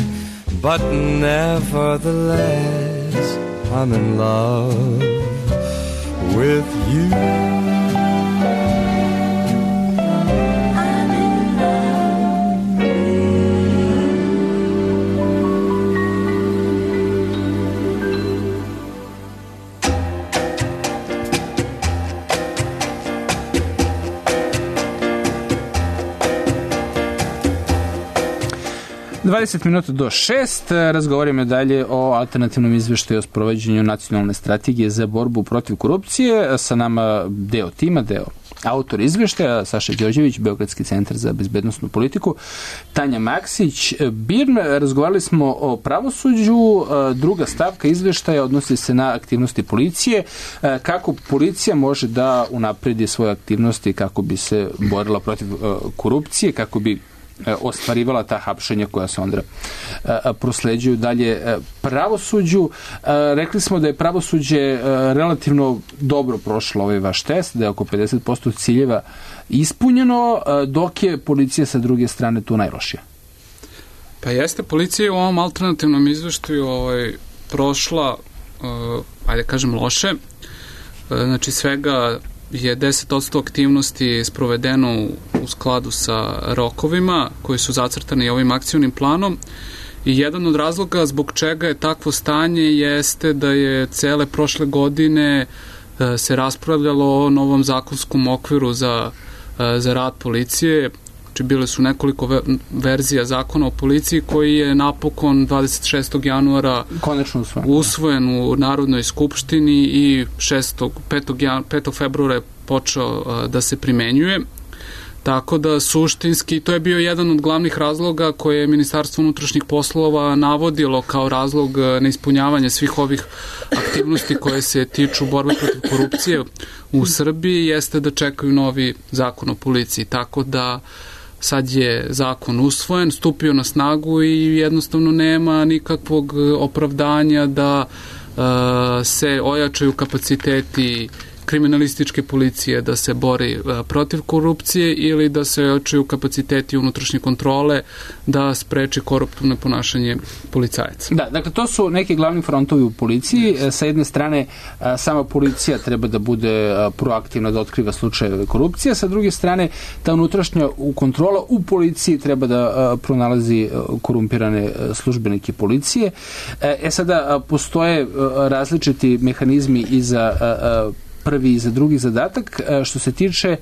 but nevertheless I'm in love with you. dvadeset minuta do šest, razgovaramo dalje o alternativnom izveštaju o sprovođenju nacionalne strategije za borbu protiv korupcije. Sa nama deo tima, deo autor izveštaja, Saša Đorđević, Beogradski centar za bezbednosnu politiku, Tanja Maksić, Birn. Razgovarali smo o pravosuđu. Druga stavka izveštaja odnosi se na aktivnosti policije. Kako policija može da unapredi svoje aktivnosti kako bi se borila protiv korupcije, kako bi ostvarivala ta hapšenja koja se onda prosleđuju dalje pravosuđu. Rekli smo da je pravosuđe relativno dobro prošlo ovaj vaš test, da je oko pedeset posto ciljeva ispunjeno, dok je policija sa druge strane tu najlošija. Pa jeste, policija je u ovom alternativnom izveštaju ovaj, prošla, uh, ajde kažem, loše. Uh, znači svega je deset posto aktivnosti sprovedeno u skladu sa rokovima koji su zacrtani ovim akcionim planom i jedan od razloga zbog čega je takvo stanje jeste da je cele prošle godine se raspravljalo o novom zakonskom okviru za, za rad policije. Znači bile su nekoliko verzija zakona o policiji koji je napokon dvadeset šestog januara konačno usvojen, usvojen u Narodnoj skupštini i petog februara je počeo da se primenjuje. Tako da suštinski to je bio jedan od glavnih razloga koje je Ministarstvo unutrašnjih poslova navodilo kao razlog neispunjavanja svih ovih aktivnosti koje se tiču borbe protiv korupcije u Srbiji, jeste da čekaju novi zakon o policiji. Tako da sad je zakon usvojen, stupio na snagu i jednostavno nema nikakvog opravdanja da uh, se ojačaju kapaciteti kriminalističke policije da se bori protiv korupcije ili da se ojačaju kapaciteti unutrašnje kontrole da spreči koruptivno ponašanje policajaca. Da, dakle to su neki glavni frontovi u policiji. Sa jedne strane sama policija treba da bude proaktivna da otkriva slučajeve korupcije, sa druge strane ta unutrašnja kontrola u policiji treba da pronalazi korumpirane službenike policije. E sada postoje različiti mehanizmi i za prvi i za drugi zadatak. Što se tiče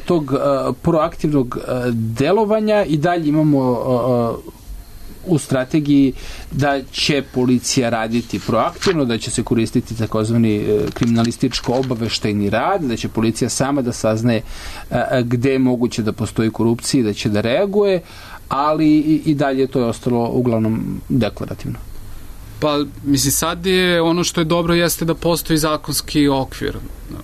tog proaktivnog delovanja i dalje imamo u strategiji da će policija raditi proaktivno, da će se koristiti takozvani kriminalističko-obaveštajni rad, da će policija sama da saznaje gde je moguće da postoji korupcija i da će da reaguje, ali i dalje to je ostalo uglavnom deklarativno. Pa, mislim, sad je ono što je dobro jeste da postoji zakonski okvir.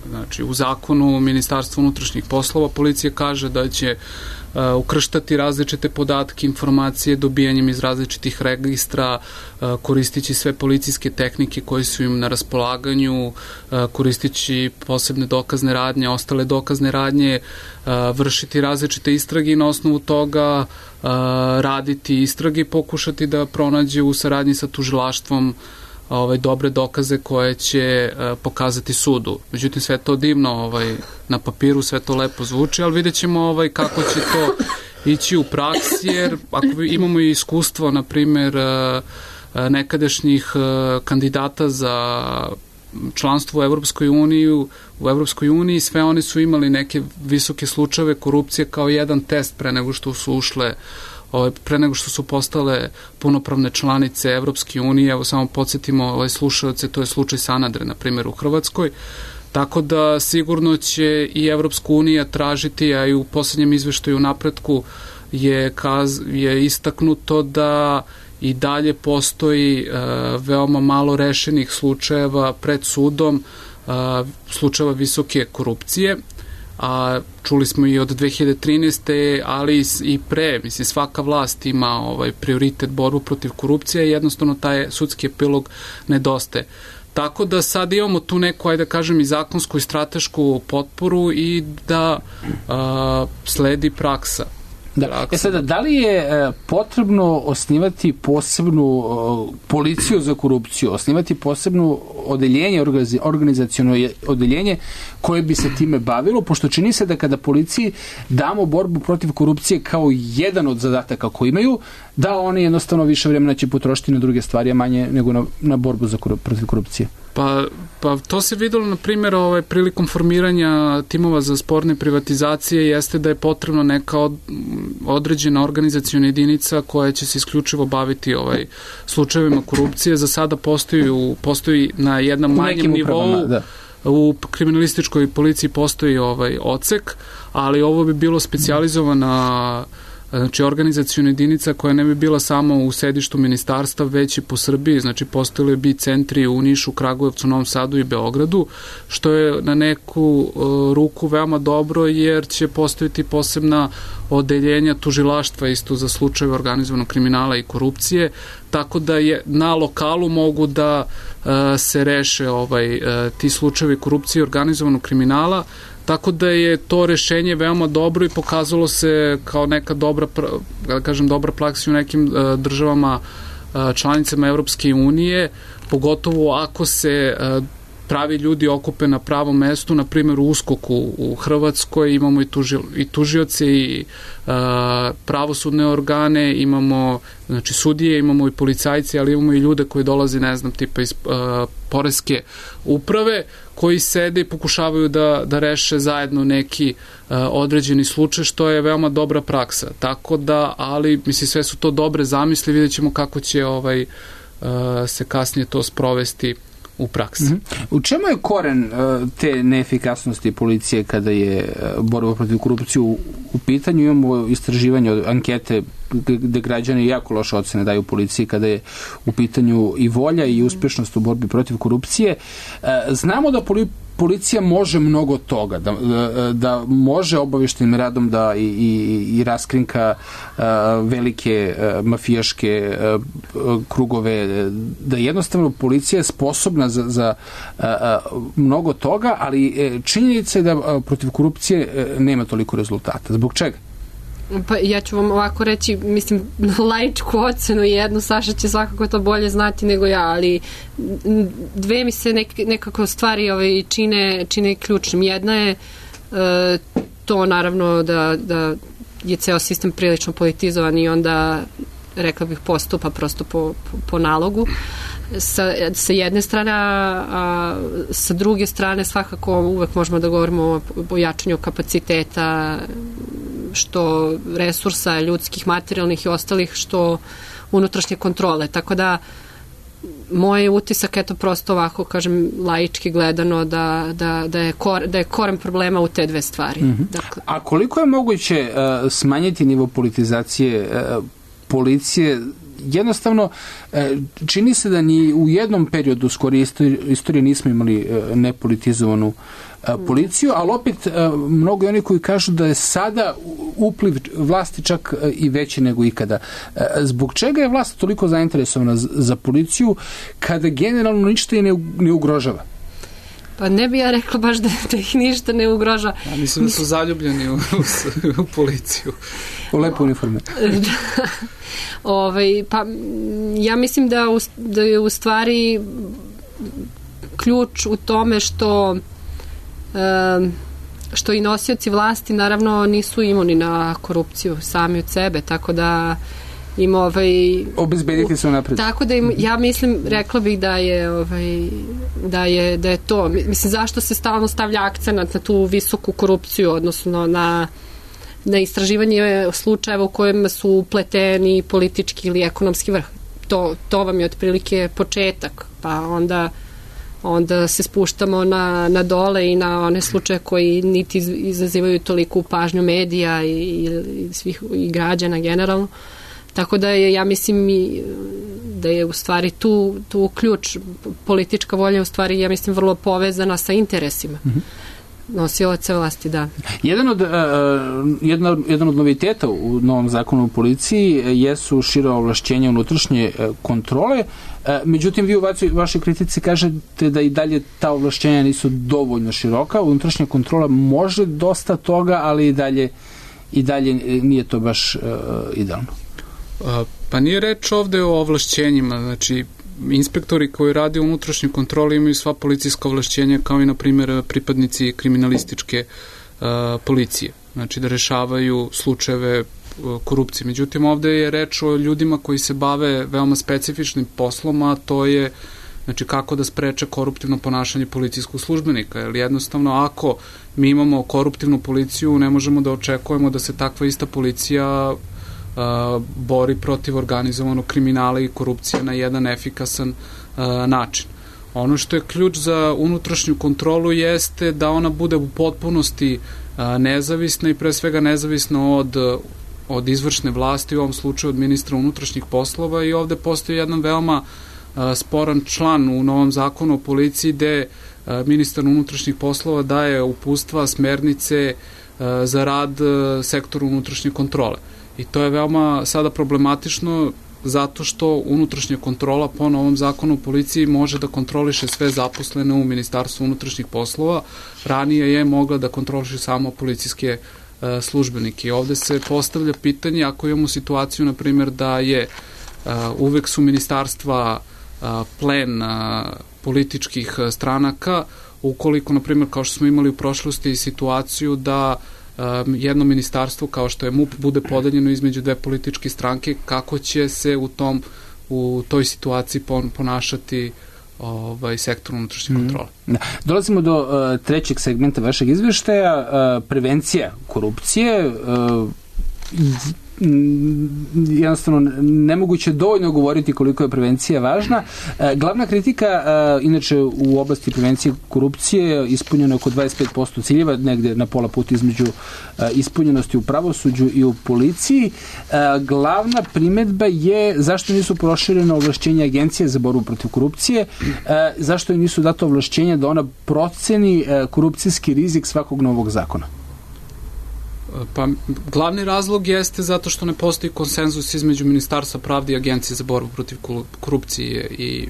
Znači, u zakonu Ministarstva unutrašnjih poslova policija kaže da će uh, ukrštati različite podatke, informacije dobijanjem iz različitih registra, uh, koristići sve policijske tehnike koje su im na raspolaganju, uh, koristići posebne dokazne radnje, ostale dokazne radnje, uh, vršiti različite istrage i na osnovu toga Uh, raditi istrage i pokušati da pronađe u saradnji sa tužilaštvom ovaj, dobre dokaze koje će uh, pokazati sudu. Međutim, sve to divno ovaj, na papiru, sve to lepo zvuči, ali vidjet ćemo ovaj, kako će to ići u praksi, jer ako imamo i iskustvo, na primjer, uh, nekadašnjih uh, kandidata za članstvo u Evropskoj uniji, u Evropskoj uniji, sve oni su imali neke visoke slučajeve korupcije kao jedan test pre nego što su ušle, pre nego što su postale punopravne članice Evropske unije. Evo samo podsjetimo ovaj slušalce, to je slučaj Sanadre, na primjer, u Hrvatskoj. Tako da sigurno će i Evropska unija tražiti, a i u poslednjem izveštaju napretku je, kaz, je istaknuto da i dalje postoji veoma malo rešenih slučajeva pred sudom, slučajeva visoke korupcije, a čuli smo i od dve hiljade trinaeste. ali i pre, mislim, svaka vlast ima ovaj prioritet borbu protiv korupcije i jednostavno taj sudski epilog nedostaje. Tako da sad imamo tu neku, ajde da kažem, i zakonsku i stratešku potporu i da a, sledi praksa. Da. E sada, da li je e, potrebno osnivati posebnu o, policiju za korupciju, osnivati posebnu odeljenje, organizaciono odeljenje koje bi se time bavilo, pošto čini se da kada policiji damo borbu protiv korupcije kao jedan od zadataka koji imaju, da oni jednostavno više vremena će potrošiti na druge stvari, a manje nego na, na borbu za korup, protiv korupcije. Pa, pa to se videlo, na primjer, ovaj, prilikom formiranja timova za sporne privatizacije jeste da je potrebno neka od, određena organizacijona jedinica koja će se isključivo baviti ovaj, slučajevima korupcije. Za sada postoji, u, postoji na jednom manjem nivou, da. U kriminalističkoj policiji postoji ovaj odsek, ali ovo bi bilo specijalizovana, znači, organizacijona jedinica koja ne bi bila samo u sedištu ministarstva, već i po Srbiji, znači postojali bi centri u Nišu, Kragujevcu, Novom Sadu i Beogradu, što je na neku uh, ruku veoma dobro, jer će postojiti posebna odeljenja tužilaštva isto za slučajeve organizovanog kriminala i korupcije, tako da je na lokalu mogu da uh, se reše ovaj, uh, ti slučajevi korupcije i organizovanog kriminala. Tako da je to rešenje veoma dobro i pokazalo se kao neka dobra, da kažem, dobra praksa u nekim uh, državama uh, članicama Evropske unije, pogotovo ako se uh, pravi ljudi okupe na pravom mestu, na primjer u USKOK-u u Hrvatskoj imamo i, tuži, i tužioce i uh, pravosudne organe, imamo, znači, sudije, imamo i policajci, ali imamo i ljude koji dolaze, ne znam, tipa iz uh, poreske uprave, koji sede i pokušavaju da, da reše zajedno neki uh, određeni slučaj, što je veoma dobra praksa. Tako da, ali, mislim, sve su to dobre zamisli, vidjet ćemo kako će ovaj, uh, se kasnije to sprovesti u praksi. Mm-hmm. U čemu je koren uh, te neefikasnosti policije kada je uh, borba protiv korupcije u, u pitanju? Imamo istraživanje, ankete gde građani jako loše ocene daju policiji kada je u pitanju i volja i uspešnost u borbi protiv korupcije. Uh, znamo da poli policija može mnogo toga, da, da, da može obaveštenim radom da i, i, i raskrinka uh, velike uh, mafijaške uh, krugove, da jednostavno policija je sposobna za, za uh, uh, mnogo toga, ali uh, činjenica je da uh, protiv korupcije uh, nema toliko rezultata. Zbog čega? Pa ja ću vam ovako reći, mislim, laičku ocenu jednu, Saša će svakako to bolje znati nego ja, ali dve mi se nek, nekako stvari ovaj, čine, čine ključnim. Jedna je e, to naravno da, da je ceo sistem prilično politizovan i onda, rekla bih, postupa prosto po, po, po nalogu. Sa, sa jedne strane, a, a sa druge strane svakako uvek možemo da govorimo o, o jačanju kapaciteta, što resursa ljudskih, materijalnih i ostalih, što unutrašnje kontrole. Tako da moj utisak, eto, prosto ovako, kažem, laički gledano, da, da, da, je, kor, da je koren problema u te dve stvari. Mm-hmm. Dakle. A koliko je moguće uh, smanjiti nivo politizacije uh, policije? Jednostavno, čini se da ni u jednom periodu skoro istorije nismo imali nepolitizovanu policiju, ali opet mnogo je oni koji kažu da je sada upliv vlasti čak i veći nego ikada. Zbog čega je vlast toliko zainteresovana za policiju kada generalno ništa je ne ugrožava? Pa ne bi ja rekla baš da, da ih ništa ne ugroža. Ja mislim da su zaljubljeni u, u, u policiju. U lepo uniforme. Da. Ovaj, pa ja mislim da, u, da je u stvari ključ u tome što um, što i nosioci vlasti naravno nisu imuni na korupciju sami od sebe, tako da im ovaj obezbediti se napred. Tako da im, ja mislim, rekla bih da je ovaj da je da je to, mislim, zašto se stalno stavlja akcenat na tu visoku korupciju, odnosno na na istraživanje slučajeva u kojima su upleteni politički ili ekonomski vrh. To, to vam je otprilike početak, pa onda onda se spuštamo na, na dole i na one slučaje koji niti izazivaju toliku pažnju medija i, i, svih, i građana generalno. Tako da je, ja mislim, da je u stvari tu, tu ključ, politička volja u stvari, ja mislim, vrlo povezana sa interesima. Mm-hmm. Nosilaca vlasti, da. Jedan od, uh, jedna, jedan od noviteta u novom zakonu o policiji jesu šira ovlašćenja unutrašnje uh, kontrole, uh, međutim vi u vašoj kritici kažete da i dalje ta ovlašćenja nisu dovoljno široka, unutrašnja kontrola može dosta toga, ali i dalje, i dalje nije to baš uh, idealno. Uh, pa nije reč ovde o ovlašćenjima, znači inspektori koji rade u unutrašnjoj kontroli imaju sva policijska ovlašćenja kao i, na primjer, pripadnici kriminalističke uh, policije. Znači da rešavaju slučajeve uh, korupcije. Međutim, ovde je reč o ljudima koji se bave veoma specifičnim poslom, a to je znači kako da spreče koruptivno ponašanje policijskog službenika. Jer jednostavno, ako mi imamo koruptivnu policiju, ne možemo da očekujemo da se takva ista policija Uh, bori protiv organizovanog kriminala i korupcije na jedan efikasan uh, način. Ono što je ključ za unutrašnju kontrolu jeste da ona bude u potpunosti uh, nezavisna i pre svega nezavisna od, od izvršne vlasti, u ovom slučaju od ministra unutrašnjih poslova, i ovde postoji jedan veoma uh, sporan član u novom zakonu o policiji gde uh, ministar unutrašnjih poslova daje uputstva, smernice uh, za rad uh, sektoru unutrašnje kontrole. I to je veoma sada problematično zato što unutrašnja kontrola po novom zakonu o policiji može da kontroliše sve zaposlene u Ministarstvu unutrašnjih poslova. Ranije je mogla da kontroliše samo policijske e, službenike. I ovde se postavlja pitanje, ako imamo situaciju, na primjer, da je e, uvek su ministarstva e, plen e, političkih stranaka, ukoliko, na primjer, kao što smo imali u prošlosti situaciju da jedno ministarstvo kao što je M U P bude podeljeno između dve političke stranke, kako će se u tom u toj situaciji ponašati ovaj sektor unutrašnje kontrole. Da. Dolazimo do uh, trećeg segmenta vašeg izveštaja, uh, prevencija korupcije. Uh, jednostavno nemoguće dovoljno govoriti koliko je prevencija važna. Glavna kritika, inače u oblasti prevencije korupcije ispunjeno je oko dvadeset pet posto ciljeva, negde na pola puta između ispunjenosti u pravosuđu i u policiji. Glavna primetba je zašto nisu proširene ovlašćenja Agencije za borbu protiv korupcije, zašto im nisu data ovlašćenja da ona proceni korupcijski rizik svakog novog zakona. Pa glavni razlog jeste zato što ne postoji konsenzus između Ministarstva pravde i Agencije za borbu protiv korupcije i,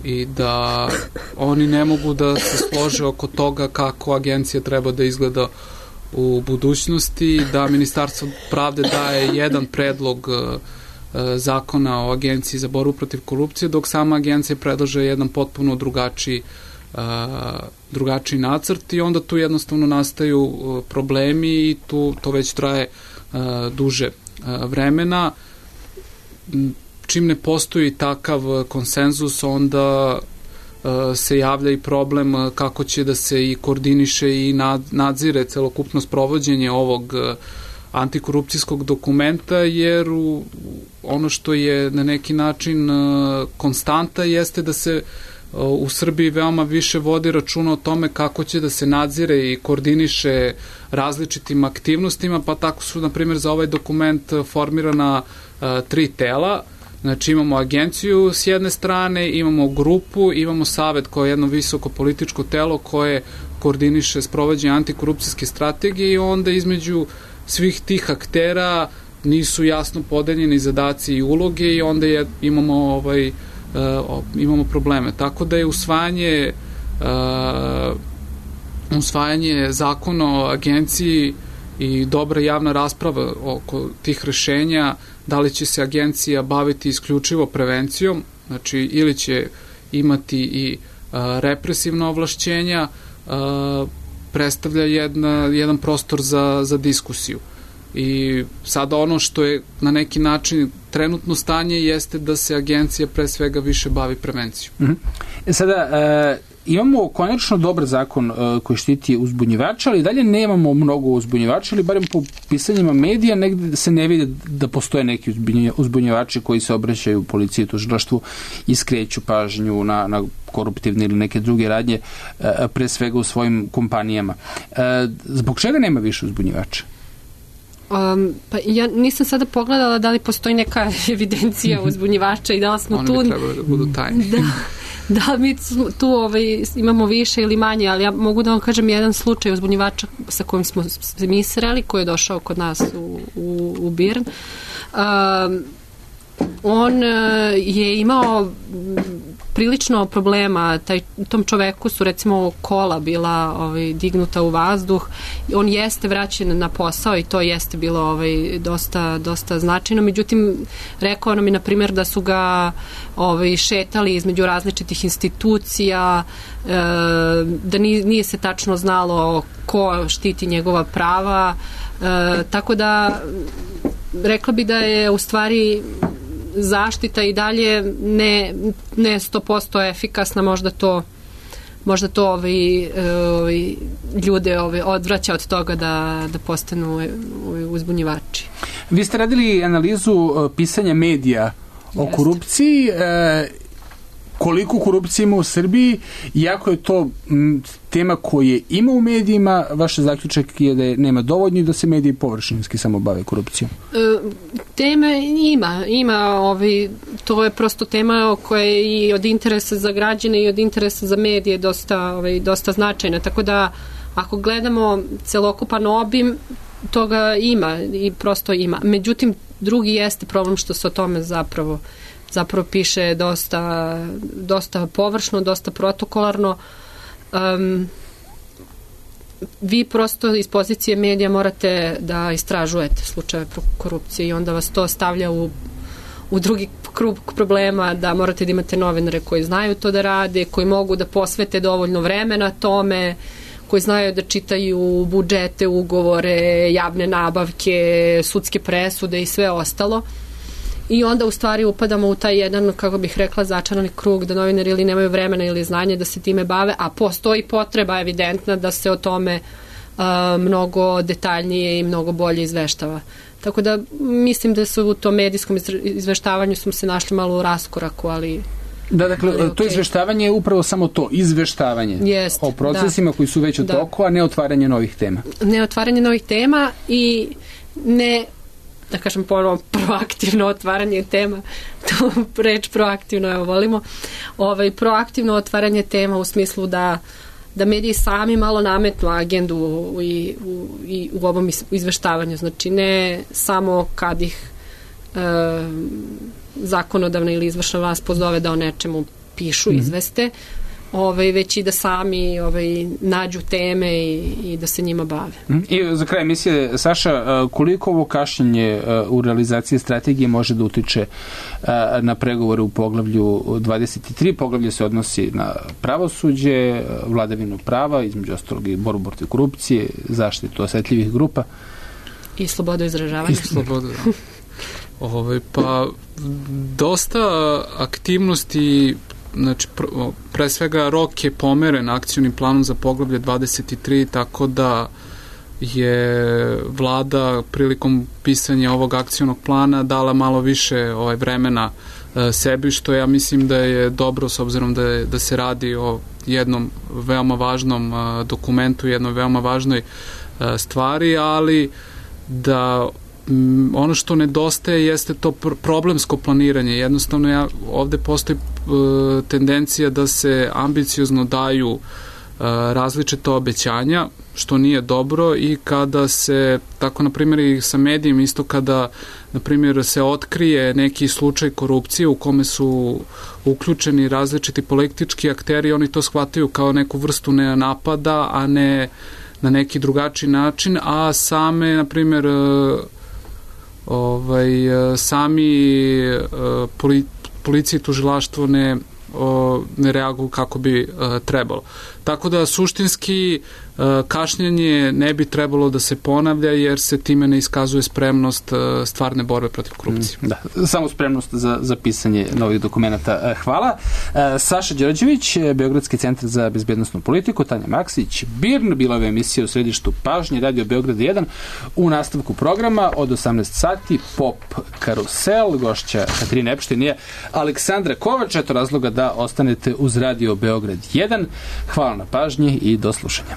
i da oni ne mogu da se slože oko toga kako agencija treba da izgleda u budućnosti, da Ministarstvo pravde daje jedan predlog zakona o Agenciji za borbu protiv korupcije, dok sama agencija predlaže jedan potpuno drugačiji Uh, drugačiji nacrt, i onda tu jednostavno nastaju uh, problemi i tu to već traje uh, duže uh, vremena. Čim ne postoji takav konsenzus, onda uh, se javlja i problem uh, kako će da se i koordiniše i nad, nadzire celokupno sprovođenje ovog uh, antikorupcijskog dokumenta, jer u, ono što je na neki način uh, konstanta jeste da se u Srbiji veoma više vodi računa o tome kako će da se nadzire i koordiniše različitim aktivnostima, pa tako su, na primjer, za ovaj dokument formirana uh, tri tela. Znači imamo agenciju s jedne strane, imamo grupu, imamo savet kao jedno visoko političko telo koje koordiniše sprovođenje antikorupcijske strategije, i onda između svih tih aktera nisu jasno podeljeni zadaci i uloge, i onda je, imamo ovaj Uh, imamo probleme. Tako da je usvajanje uh, usvajanje zakona o agenciji i dobra javna rasprava oko tih rešenja, da li će se agencija baviti isključivo prevencijom, znači ili će imati i uh, represivna ovlašćenja, uh, predstavlja jedna, jedan prostor za, za diskusiju. I sada ono što je na neki način trenutno stanje jeste da se agencija pre svega više bavi prevencijom. Mm-hmm. Sada, e, imamo konačno dobar zakon e, koji štiti uzbunjivača, ali dalje nemamo mnogo uzbunjivača, ali barem po pisanjima medija negde se ne vidi da postoje neki uzbunjivači koji se obraćaju policiji i tužilaštvu i skreću pažnju na, na koruptivne ili neke druge radnje, e, pre svega u svojim kompanijama. E, zbog čega nema više uzbunjivača? Um, pa ja nisam sada pogledala da li postoji neka evidencija uzbunjivača i da li smo Oni tu... Oni bi trebali da budu tajni. Da, da mi tu ovaj, imamo više ili manje, ali ja mogu da vam kažem jedan slučaj uzbunjivača sa kojim smo se mi sreli, koji je došao kod nas u, u, u Birn. Um, on je imao prilično problema, taj, tom čoveku su recimo kola bila ovaj, dignuta u vazduh, on jeste vraćen na posao i to jeste bilo ovaj, dosta, dosta značajno, međutim rekao nam je na primjer da su ga ovaj, šetali između različitih institucija, e, da nije, nije se tačno znalo ko štiti njegova prava, e, tako da rekla bi da je u stvari zaštita i dalje ne, ne sto posto efikasna, možda to možda to ovi, ovi ljude ovi odvraća od toga da, da postanu ovi uzbunjivači. Vi ste radili analizu pisanja medija o Jest. korupciji, e, koliko korupcije ima u Srbiji, iako je to m, tema koje ima u medijima, vaš zaključak je da je nema dovoljno i da se mediji površinski samo bave korupcijom. E, teme ima, ima ovi, to je prosto tema koja je i od interesa za građane i od interesa za medije dosta, ovaj, dosta značajna, tako da ako gledamo celokupan obim, toga ima i prosto ima. Međutim, drugi jeste problem što se o tome zapravo zapravo piše dosta, dosta površno, dosta protokolarno. Um, vi prosto iz pozicije medija morate da istražujete slučajeve korupcije i onda vas to stavlja u, u drugi krug problema, da morate da imate novinare koji znaju to da rade, koji mogu da posvete dovoljno vremena tome, koji znaju da čitaju budžete, ugovore, javne nabavke, sudske presude i sve ostalo. I onda u stvari upadamo u taj jedan, kako bih rekla, začarani krug da novinari ili nemaju vremena ili znanje da se time bave, a postoji potreba evidentna da se o tome uh, mnogo detaljnije i mnogo bolje izveštava. Tako da mislim da su u tom medijskom izveštavanju smo se našli malo u raskoraku, ali... Da, dakle, ali, to okay. izveštavanje je upravo samo to, izveštavanje Jest, o procesima da. koji su već u toku, a ne otvaranje novih tema. Ne otvaranje novih tema i ne... da kažem ponovno, proaktivno otvaranje tema, to reč proaktivno, evo volimo, ovaj, proaktivno otvaranje tema u smislu da, da mediji sami malo nametnu agendu u, i, u, i u ovom izveštavanju, znači ne samo kad ih e, zakonodavna ili izvršna vlast pozove da o nečemu pišu, mm-hmm. izveste, ovaj, već i da sami ovaj, nađu teme i, i da se njima bave. I za kraj emisije, Saša, koliko ovo kašnjenje u realizaciji strategije može da utiče na pregovore u poglavlju dvadeset tri? Poglavlje se odnosi na pravosuđe, vladavinu prava, između ostalog i borbu protiv korupcije, zaštitu osetljivih grupa. I slobodu izražavanja. I slobodu, da. Ovaj, pa, dosta aktivnosti. Znači, pre svega rok je pomeren akcionim planom za poglavlje dvadeset tri, tako da je vlada prilikom pisanja ovog akcionog plana dala malo više ovaj, vremena e, sebi, što ja mislim da je dobro s obzirom da, je, da se radi o jednom veoma važnom e, dokumentu, jednoj veoma važnoj e, stvari, ali da ono što nedostaje jeste to problemsko planiranje. Jednostavno ja, ovde postoji uh, tendencija da se ambiciozno daju uh, različita obećanja, što nije dobro, i kada se, tako na primjer i sa medijima, isto kada na primjer se otkrije neki slučaj korupcije u kome su uključeni različiti politički akteri, oni to shvataju kao neku vrstu napada, a ne na neki drugačiji način, a same na primjer uh, Ovaj, sami poli, policija i tužilaštvo ne, o, ne reaguju kako bi a, trebalo. Tako da suštinski a, kašnjenje ne bi trebalo da se ponavlja, jer se time ne iskazuje spremnost a, stvarne borbe protiv korupcije. Da, samo spremnost za, za pisanje novih dokumenta. Hvala. Saša Đorđević, Beogradski centar za bezbednosnu politiku, Tanja Maksić, Birn, bila je emisija u središtu pažnje, Radio Beograd jedan. U nastavku programa od osamnaest sati Pop Karusel, gošća Katarina Epštin je Aleksandra Kovač, eto razloga da ostanete uz Radio Beograd jedan. Hvala na pažnji i do slušanja.